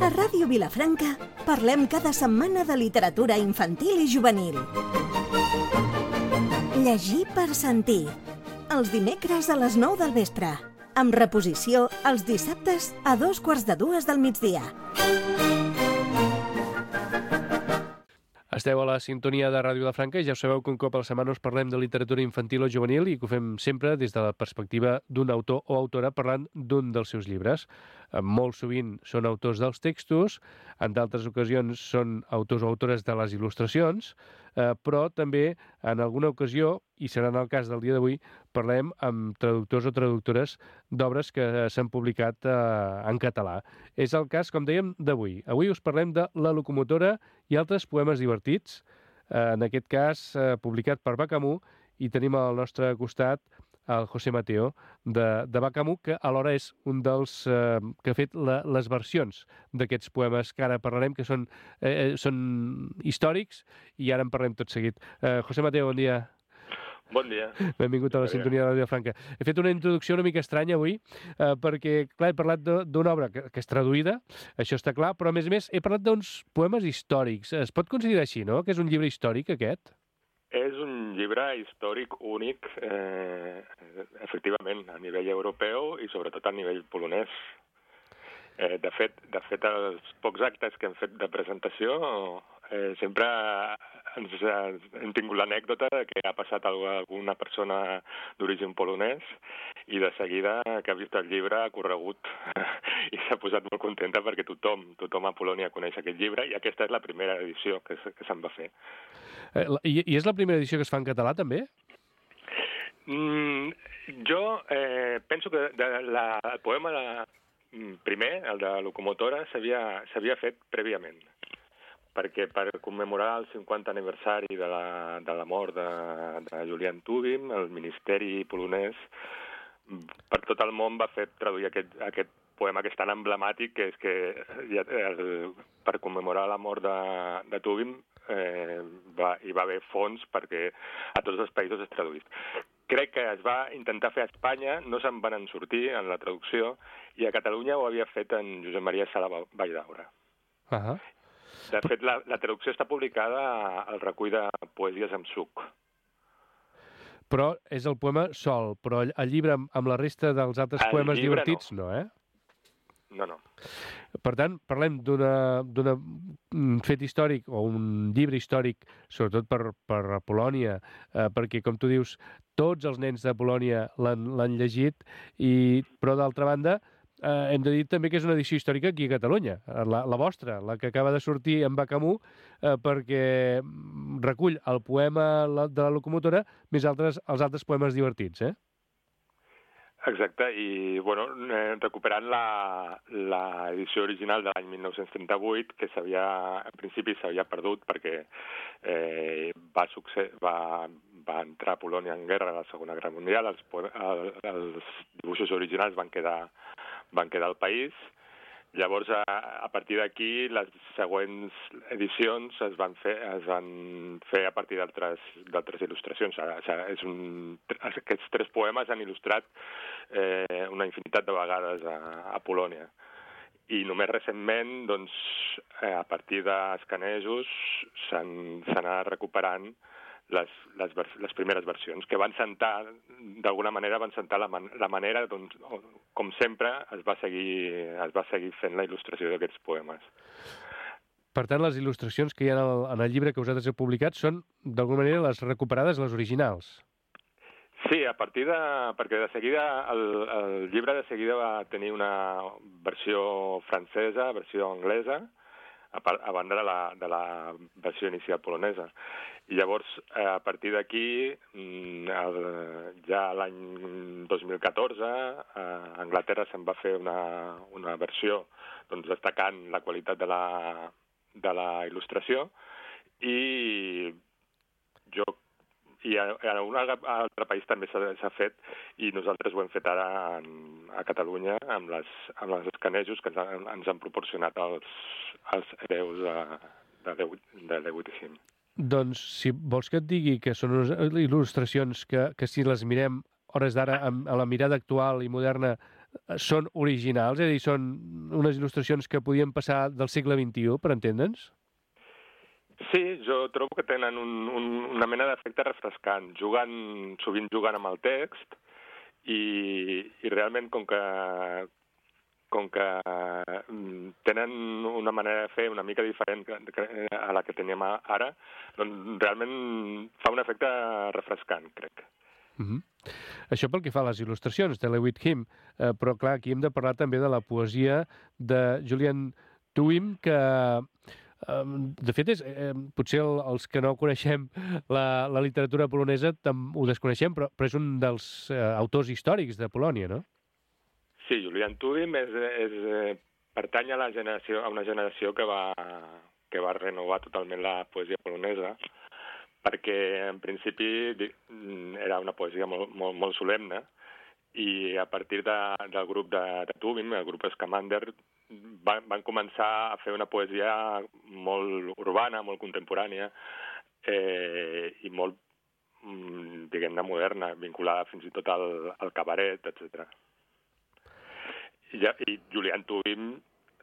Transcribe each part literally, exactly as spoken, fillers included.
A Ràdio Vilafranca parlem cada setmana de literatura infantil i juvenil. Llegir per sentir. Els dimecres a les nou del vespre. Amb reposició els dissabtes a dos quarts de dues del migdia. Esteu a la sintonia de Ràdio Vilafranca i ja sabeu que un cop a la setmana us parlem de literatura infantil o juvenil i que ho fem sempre des de la perspectiva d'un autor o autora parlant d'un dels seus llibres. Molt sovint són autors dels textos, en d'altres ocasions són autors o autores de les il·lustracions, eh, però també en alguna ocasió, i serà en el cas del dia d'avui, parlem amb traductors o traductores d'obres que s'han publicat eh, en català. És el cas, com dèiem, d'avui. Avui us parlem de La locomotora i altres poemes divertits, eh, en aquest cas eh, publicat per Bacamú, i tenim al nostre costat el José Mateo, de, de Bacamú, que alhora és un dels eh, que ha fet la, les versions d'aquests poemes que ara parlarem, que són, eh, són històrics, i ara en parlem tot seguit. Eh, José Mateo, bon dia. Bon dia. Benvingut a la sintonia de Ràdio Franca. He fet una introducció una mica estranya avui, eh, perquè, clar, he parlat d'una obra que, que és traduïda, això està clar, però a més a més he parlat d'uns poemes històrics. Es pot considerar així, no?, que és un llibre històric, aquest? És un llibre històric únic, eh, efectivament, a nivell europeu i sobretot a nivell polonès. Eh, de fet, de fet, els pocs actes que hem fet de presentació eh, sempre ens, hem tingut l'anècdota que ha passat alguna persona d'origen polonès i de seguida que ha vist el llibre ha corregut i s'ha posat molt contenta perquè tothom, tothom a Polònia coneix aquest llibre i aquesta és la primera edició que, que se'n va fer. Eh, i, I és la primera edició que es fa en català, també? Mm, jo eh, penso que de la, el poema de, primer, el de Locomotora, s'havia fet prèviament, perquè per commemorar el cinquanta aniversari de la, de la mort de, de Julian Tubim, el Ministeri polonès per tot el món va fer traduir aquest, aquest poema que és tan emblemàtic, que és que el, per commemorar la mort de, de Tubim eh, va, hi va haver fons perquè a tots els països es traduís. Crec que es va intentar fer a Espanya, no se'n van en sortir en la traducció, i a Catalunya ho havia fet en Josep Maria Sala Valldaura. Uh -huh. De fet, la, la traducció està publicada al recull de Poesies amb suc. Però és el poema sol, però el llibre amb, amb la resta dels altres el poemes divertits no. no, eh? No, no. Per tant, parlem d'un fet històric o un llibre històric, sobretot per, per Polònia, eh, perquè, com tu dius, tots els nens de Polònia l'han llegit, i, però d'altra banda, eh, hem de dir també que és una edició històrica aquí a Catalunya, la, la vostra, la que acaba de sortir en Bacamú, eh, perquè recull el poema de la locomotora més altres, els altres poemes divertits, eh? Exacte, i bueno, recuperant l'edició original de l'any mil nou-cents trenta-vuit, que s'havia, en principi s'havia perdut perquè eh, va, succe va, va entrar a Polònia en guerra a la Segona Guerra Mundial, els, els dibuixos originals van quedar, van quedar al país. Llavors, a, a partir d'aquí, les següents edicions es van fer, es van fer a partir d'altres il·lustracions. És un, aquests tres poemes han il·lustrat eh, una infinitat de vegades a, a Polònia. I només recentment, doncs, eh, a partir d'escanejos, s'han anat recuperant les, les, les primeres versions, que van sentar, d'alguna manera, van sentar la, man la manera, doncs, com sempre, es va seguir, es va seguir fent la il·lustració d'aquests poemes. Per tant, les il·lustracions que hi ha en el, en el llibre que vosaltres heu publicat són, d'alguna manera, les recuperades, les originals. Sí, a partir de... perquè de seguida, el, el llibre de seguida va tenir una versió francesa, versió anglesa, a, a banda de la, de la versió inicial polonesa. I llavors, a partir d'aquí, ja l'any dos mil catorze, a Anglaterra se'n va fer una, una versió doncs, destacant la qualitat de la, de la il·lustració, i jo i a, a un altre país també s'ha fet, i nosaltres ho hem fet ara en, a Catalunya amb les, amb les escanejos que ens han, ens han proporcionat els, els hereus de, de, de deu vuitanta-cinc. Doncs, si vols que et digui que són unes il·lustracions que, que si les mirem hores d'ara a la mirada actual i moderna són originals? És a dir, són unes il·lustracions que podien passar del segle vint-i-u, per entendre'ns? Sí, jo trobo que tenen un, un, una mena d'efecte refrescant. Juguen, sovint juguen amb el text i, i realment com que com que tenen una manera de fer una mica diferent a la que teníem ara, doncs realment fa un efecte refrescant, crec. Uh-huh. Això pel que fa a les il·lustracions de Lewis Him, eh, però clar, aquí hem de parlar també de la poesia de Julian Tuwim, que eh, de fet és, eh, potser el, els que no coneixem la, la literatura polonesa ho desconeixem, però, però és un dels eh, autors històrics de Polònia, no? Sí, Julian Tuwim és, és, eh, pertany a, la generació, a una generació que va, que va renovar totalment la poesia polonesa, perquè en principi era una poesia molt, molt, molt solemne, i a partir de, del grup de, de Tuwim, el grup Scamander, van, van començar a fer una poesia molt urbana, molt contemporània, eh, i molt, diguem-ne, moderna, vinculada fins i tot al, al cabaret, etcètera. I, i Julian Tuwim,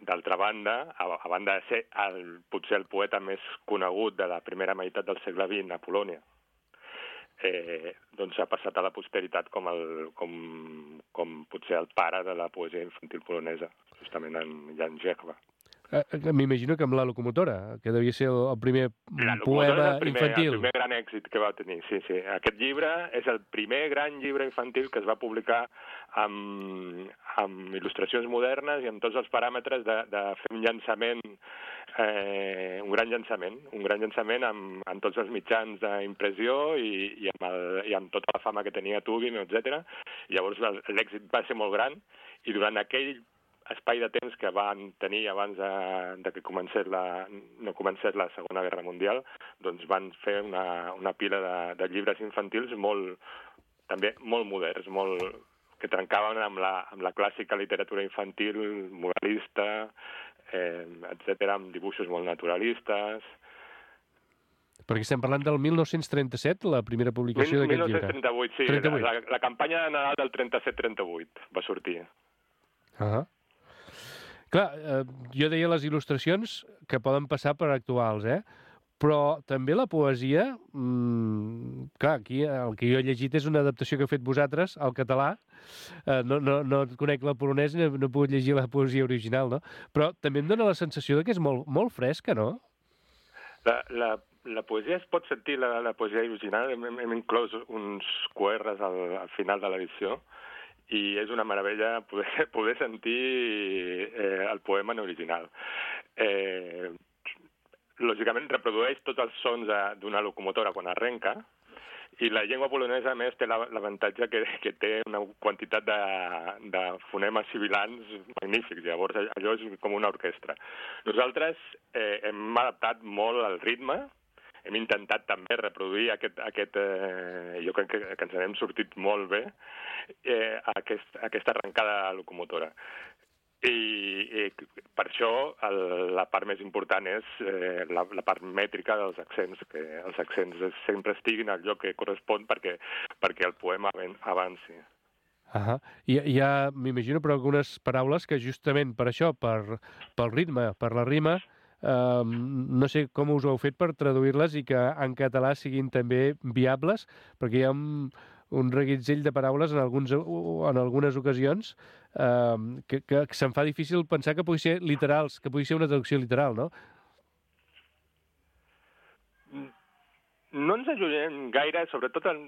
d'altra banda, a, a banda de ser el, potser el poeta més conegut de la primera meitat del segle vint a Polònia, eh, doncs ha passat a la posteritat com, el, com, com potser el pare de la poesia infantil polonesa, justament en Jan Żegwa. Eh, M'imagino que amb La locomotora, que devia ser el primer poema el primer, infantil. El primer gran èxit que va tenir, sí, sí. Aquest llibre és el primer gran llibre infantil que es va publicar amb, amb il·lustracions modernes i amb tots els paràmetres de, de fer un llançament, eh, un gran llançament, un gran llançament amb, amb tots els mitjans d'impressió i, i, amb el, i amb tota la fama que tenia Tuwim, etcètera. Llavors l'èxit va ser molt gran i durant aquell espai de temps que van tenir abans de, de que comencés la, no comencés la Segona Guerra Mundial, doncs van fer una, una pila de, de llibres infantils molt, també molt moderns, molt, que trencaven amb la, amb la clàssica literatura infantil moralista, eh, etcètera, amb dibuixos molt naturalistes. Perquè estem parlant del mil nou-cents trenta-set, la primera publicació d'aquest llibre. mil nou-cents trenta-vuit, sí. trenta-vuit. La, la campanya de Nadal del trenta-set trenta-vuit va sortir. Ah. Clar, eh, jo deia les il·lustracions que poden passar per actuals, eh? Però també la poesia, mmm, clar, aquí el que jo he llegit és una adaptació que heu fet vosaltres al català, eh, no, no, no conec la polonesa, no, no he pogut llegir la poesia original, no? Però també em dóna la sensació de que és molt, molt fresca, no? La, la, la poesia es pot sentir, la, la poesia original, hem, hem inclòs uns Q Rs al, al final de l'edició, i és una meravella poder, poder sentir eh, el poema en original. Eh, lògicament reprodueix tots els sons d'una locomotora quan arrenca, i la llengua polonesa, a més, té l'avantatge que, que té una quantitat de, de fonemes sibilants magnífics. Llavors, allò és com una orquestra. Nosaltres eh, hem adaptat molt el ritme, hem intentat també reproduir aquest, aquest eh, jo crec que, que ens n'hem sortit molt bé, eh, aquest, aquesta arrencada locomotora. I, i per això el, la part més important és eh, la, la part mètrica dels accents, que els accents sempre estiguin al lloc que correspon perquè, perquè el poema avanci. Ah, hi, hi ha, m'imagino, però algunes paraules que justament per això, per, pel ritme, per la rima, Uh, no sé com us ho heu fet per traduir-les i que en català siguin també viables, perquè hi ha un, un reguitzell de paraules en, alguns, en algunes ocasions uh, que, que, que se'm fa difícil pensar que pugui ser literals, que pugui ser una traducció literal, no? No ens allunyem gaire, sobretot en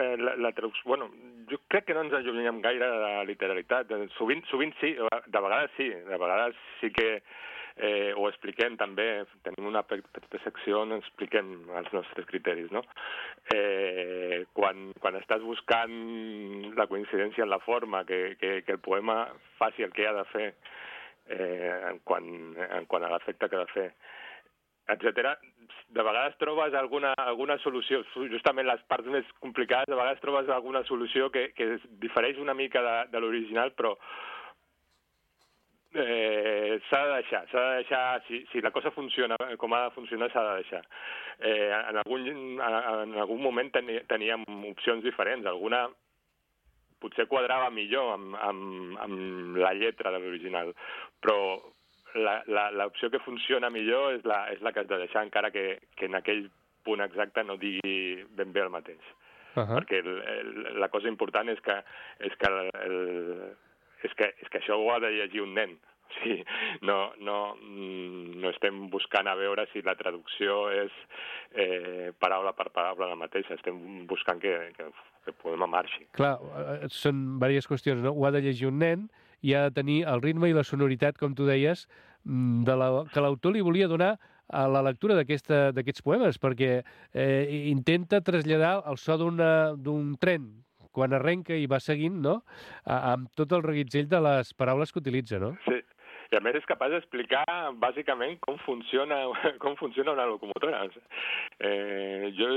eh, la, la traducció... Bueno, jo crec que no ens allunyem gaire de la literalitat. Sovint, sovint sí, de vegades sí, de vegades sí que Eh, ho expliquem també, tenim una petita secció on expliquem els nostres criteris, no? Eh, quan, quan estàs buscant la coincidència en la forma, que, que, que el poema faci el que ha de fer, eh, en, quant, en quant a l'efecte que ha de fer, etcètera, de vegades trobes alguna, alguna solució, justament les parts més complicades, de vegades trobes alguna solució que, que difereix una mica de, de l'original, però Eh, s'ha de deixar, s'ha de deixar, si, si la cosa funciona com ha de funcionar, s'ha de deixar. Eh, en, algun, en algun moment teni, teníem opcions diferents, alguna potser quadrava millor amb, amb, amb la lletra de l'original, però l'opció que funciona millor és la, és la que has de deixar, encara que, que en aquell punt exacte no digui ben bé el mateix. Uh -huh. Perquè el, el, la cosa important és que, és, que el, el, és, que, és que això ho ha de llegir un nen. O sigui, no, no, no estem buscant a veure si la traducció és eh, paraula per paraula la mateixa, estem buscant que, que, que el poema marxi. Clar, són diverses qüestions, no? Ho ha de llegir un nen i ha de tenir el ritme i la sonoritat, com tu deies, de la, que l'autor li volia donar a la lectura d'aquests poemes, perquè eh, intenta traslladar el so d'un tren quan arrenca i va seguint, no?, amb tot el reguitzell de les paraules que utilitza, no? Sí. I a més és capaç d'explicar bàsicament com funciona, com funciona una locomotora. Eh, jo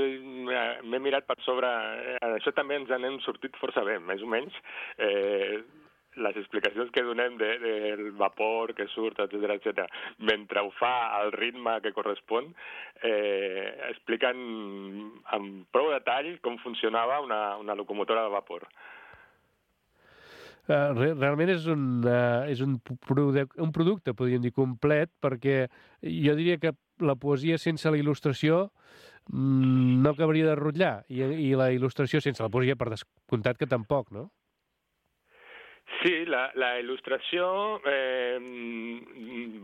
m'he mirat per sobre, eh, això també ens n'hem sortit força bé, més o menys. Eh, les explicacions que donem de, del vapor que surt, etcètera, etcètera, mentre ho fa al ritme que correspon, eh, expliquen amb prou detall com funcionava una, una locomotora de vapor. Uh, realment és un, uh, és un, produc un producte, podríem dir, complet, perquè jo diria que la poesia sense la il·lustració mm, no acabaria de rotllar, i, i la il·lustració sense la poesia, per descomptat que tampoc, no? Sí, la, la il·lustració eh,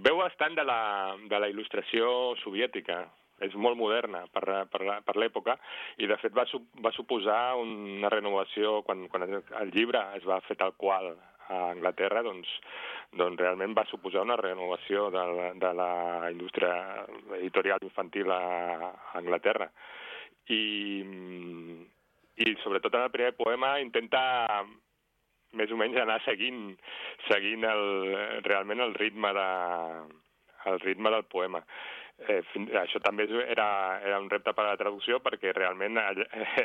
veu bastant de la, de la il·lustració soviètica. És molt moderna per, per, per l'època i, de fet, va, va suposar una renovació. Quan, quan el llibre es va fer tal qual a Anglaterra, doncs, doncs realment va suposar una renovació de la, de la indústria editorial infantil a, a Anglaterra. I, I, sobretot, en el primer poema intenta més o menys anar seguint, seguint el, realment el ritme, de, el ritme del poema. Eh, això també era, era un repte per a la traducció, perquè realment eh,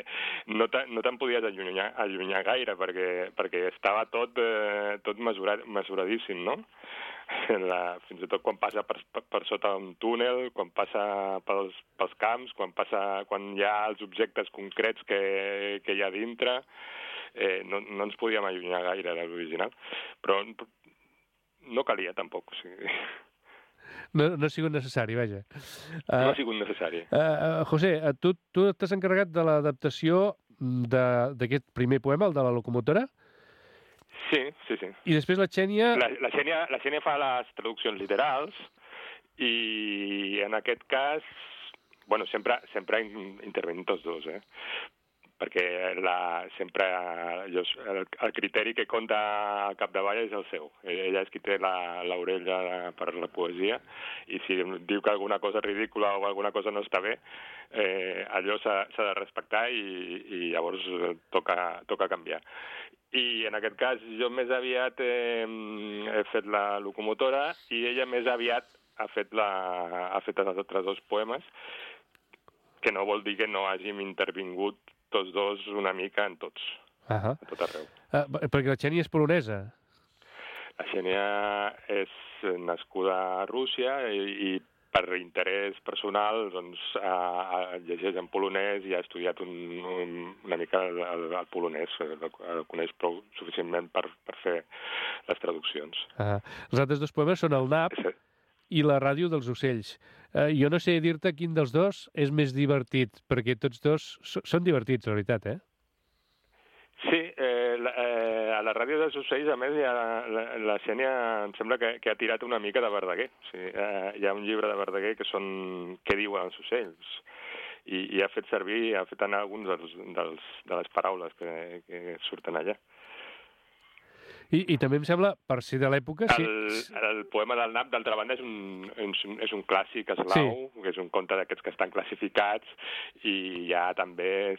no te'n no te podies allunyar, allunyar gaire, perquè, perquè estava tot, eh, tot mesurat, mesuradíssim, no? La, fins i tot quan passa per, per, per sota un túnel, quan passa pels, pels camps, quan, passa, quan hi ha els objectes concrets que, que hi ha dintre, eh, no, no ens podíem allunyar gaire de l'original. Però no calia, tampoc, o sigui... No, no ha sigut necessari, vaja. No ha sigut necessari. Uh, uh, José, uh, tu, tu t'has encarregat de l'adaptació d'aquest primer poema, el de la locomotora? Sí, sí, sí. I després la Xènia... La, la, Xènia, la Xènia fa les traduccions literals i en aquest cas, bueno, sempre, sempre intervenen tots dos, eh? Perquè la, sempre jo, el, el criteri que compta al capdavall és el seu. Ella és qui té l'orella per la poesia, i si diu que alguna cosa és ridícula o alguna cosa no està bé, eh, allò s'ha de respectar i, i llavors toca, toca canviar. I en aquest cas jo més aviat eh, he fet la locomotora i ella més aviat ha fet, la, ha fet els altres dos poemes, que no vol dir que no hàgim intervingut tots dos una mica en tots, uh -huh. a tot arreu. Uh, perquè la Xènia és polonesa. La Xènia és nascuda a Rússia i, i per interès personal doncs, ha, ha llegeix en polonès i ha estudiat un, un, una mica el, el, el polonès, el, el coneix prou suficientment per, per fer les traduccions. Uh -huh. Els altres dos poemes són el nap sí. i la ràdio dels ocells. Uh, jo no sé dir-te quin dels dos és més divertit, perquè tots dos so, són divertits, la veritat, eh? Sí, eh, la, eh, a la ràdio dels ocells, a més, ha, la, la Xènia em sembla que, que ha tirat una mica de Verdaguer. O sigui, eh, hi ha un llibre de Verdaguer que són Què diuen els ocells? I, i ha fet servir, ha fet anar alguns dels, dels, de les paraules que, que surten allà. I, I també em sembla, per ser de l'època... Sí. El, el poema del nap, d'altra banda, és un, és un clàssic eslau, sí. que és un conte d'aquests que estan classificats, i hi ha també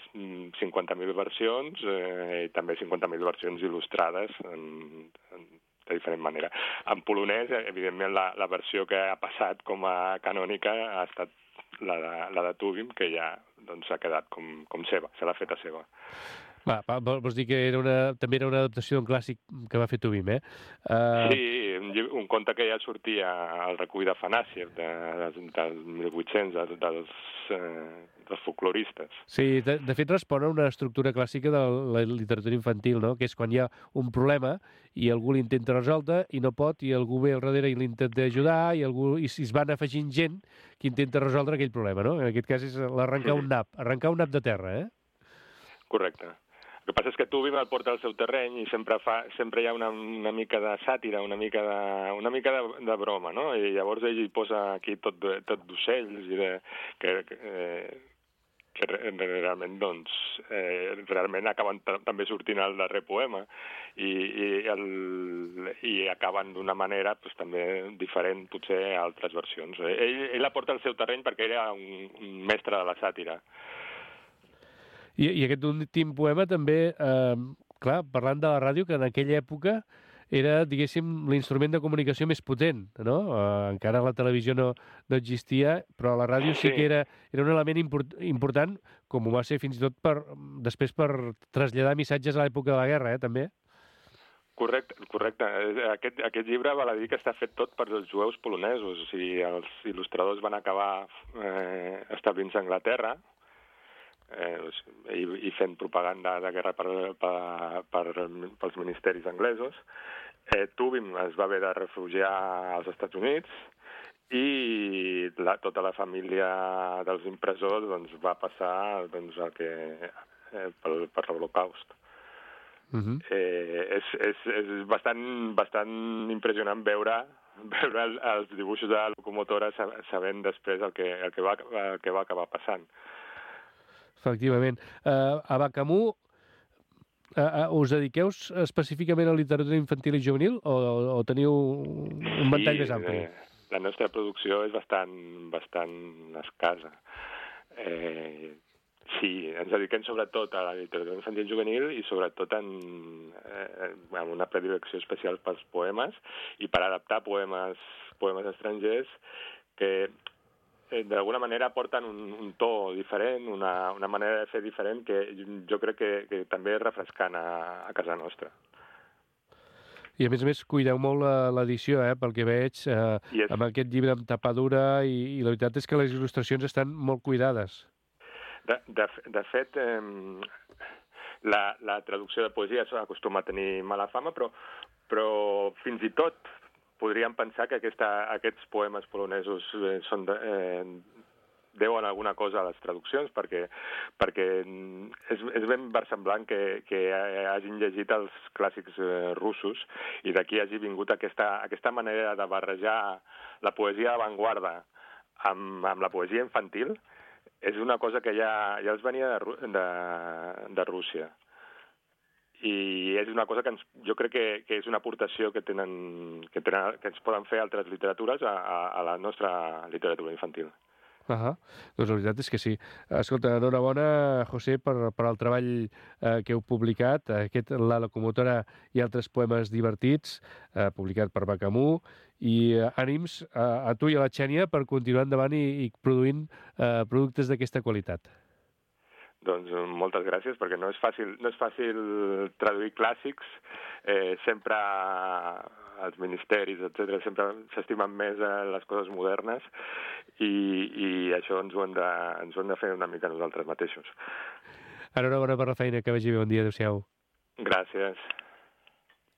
cinquanta mil versions, eh, i també cinquanta mil versions il·lustrades en, en, de diferent manera. En polonès, evidentment, la, la versió que ha passat com a canònica ha estat la de, la de Tubim, que ja doncs, ha quedat com, com seva, se l'ha fet a seva. Va, va, vols dir que era una, també era una adaptació d'un clàssic que va fer Tubim, eh? Uh... Sí, un, llib- un conte que ja sortia al recull de Fanàsiev, de, de, del mil vuit-cents, de, dels, eh, dels folcloristes. Sí, de, de fet respon a una estructura clàssica de la literatura infantil, no? Que és quan hi ha un problema i algú l'intenta resoldre i no pot, i algú ve al darrere i l'intenta ajudar, i, algú, i es van afegint gent que intenta resoldre aquell problema, no? En aquest cas és l'arrencar un nap, arrencar un nap de terra, eh? Correcte. El que passa és que Tubim el porta al seu terreny i sempre fa, sempre hi ha una, una mica de sàtira, una mica de, una mica de, de broma, no? I llavors ell hi posa aquí tot, de- tot d'ocells i de, que, que, eh, que re- realment, doncs, eh, realment acaben ta- també sortint al darrer poema i, i, el, i acaben d'una manera doncs, també diferent, potser, a altres versions. Ell, ell la porta al seu terreny perquè era un, un mestre de la sàtira. I, i aquest últim poema també, eh, clar, parlant de la ràdio, que en aquella època era, diguéssim, l'instrument de comunicació més potent, no? Eh, encara la televisió no, no existia, però la ràdio sí, Sí. que era, era un element import, important, com ho va ser fins i tot per, després per traslladar missatges a l'època de la guerra, eh, també. Correcte, correcte. Eh, Aquest, aquest llibre val a dir que està fet tot per els jueus polonesos. O sigui, els il·lustradors van acabar eh, establint-se a Anglaterra eh, i, i fent propaganda de guerra per, per, per, pels ministeris anglesos. Eh, Tubim es va haver de refugiar als Estats Units i la, tota la família dels impressors doncs, va passar doncs, el que, eh, per, per l'Holocaust. Uh -huh. Eh, és, és, és bastant, bastant impressionant veure, veure el, els dibuixos de la locomotora sa- sabent després el que, el que, va, el que va acabar passant. Efectivament. Uh, a Bacamú, uh, uh, us dediqueu específicament a literatura infantil i juvenil o, o teniu un ventall més ampli? Eh, la nostra producció és bastant, bastant escassa. Eh, sí, ens dediquem sobretot a la literatura infantil i juvenil i sobretot en, eh, amb una predilecció especial pels poemes i per adaptar poemes, poemes estrangers que eh, d'alguna manera porten un, un to diferent, una, una manera de fer diferent que jo crec que, que també és refrescant a, a casa nostra. I a més a més cuideu molt la- l'edició, eh, pel que veig, eh, I és, amb aquest llibre amb tapadura i, i la veritat és que les il·lustracions estan molt cuidades. de, de, de fet, eh, la, la traducció de poesia acostuma a tenir mala fama, però, però fins i tot podríem pensar que aquesta, aquests poemes polonesos eh, són de, eh, deuen alguna cosa a les traduccions, perquè, perquè és, és ben versemblant que, que hagin llegit els clàssics eh, russos i d'aquí hagi vingut aquesta, aquesta manera de barrejar la poesia d'avantguarda amb, amb la poesia infantil. És una cosa que ja, ja els venia de, Ru- de, de Rússia. I és una cosa que ens, jo crec que, que és una aportació que, tenen, que, tenen, que ens poden fer altres literatures a, a, a la nostra literatura infantil. Uh-huh. Doncs la veritat és que sí. Escolta, enhorabona, José, per, per el treball eh, que heu publicat, aquest La locomotora i altres poemes divertits, eh, publicat per Bacamú, i eh, ànims a, a tu i a la Xènia per continuar endavant i, i produint eh, productes d'aquesta qualitat. Doncs moltes gràcies, perquè no és fàcil, no és fàcil traduir clàssics, eh, sempre els ministeris, etcètera, sempre s'estimen més eh, les coses modernes i, i això ens ho, hem de, ens ho hem de fer una mica nosaltres mateixos. Enhorabona per la feina, que vagi bé, bon dia, adéu-siau. Gràcies.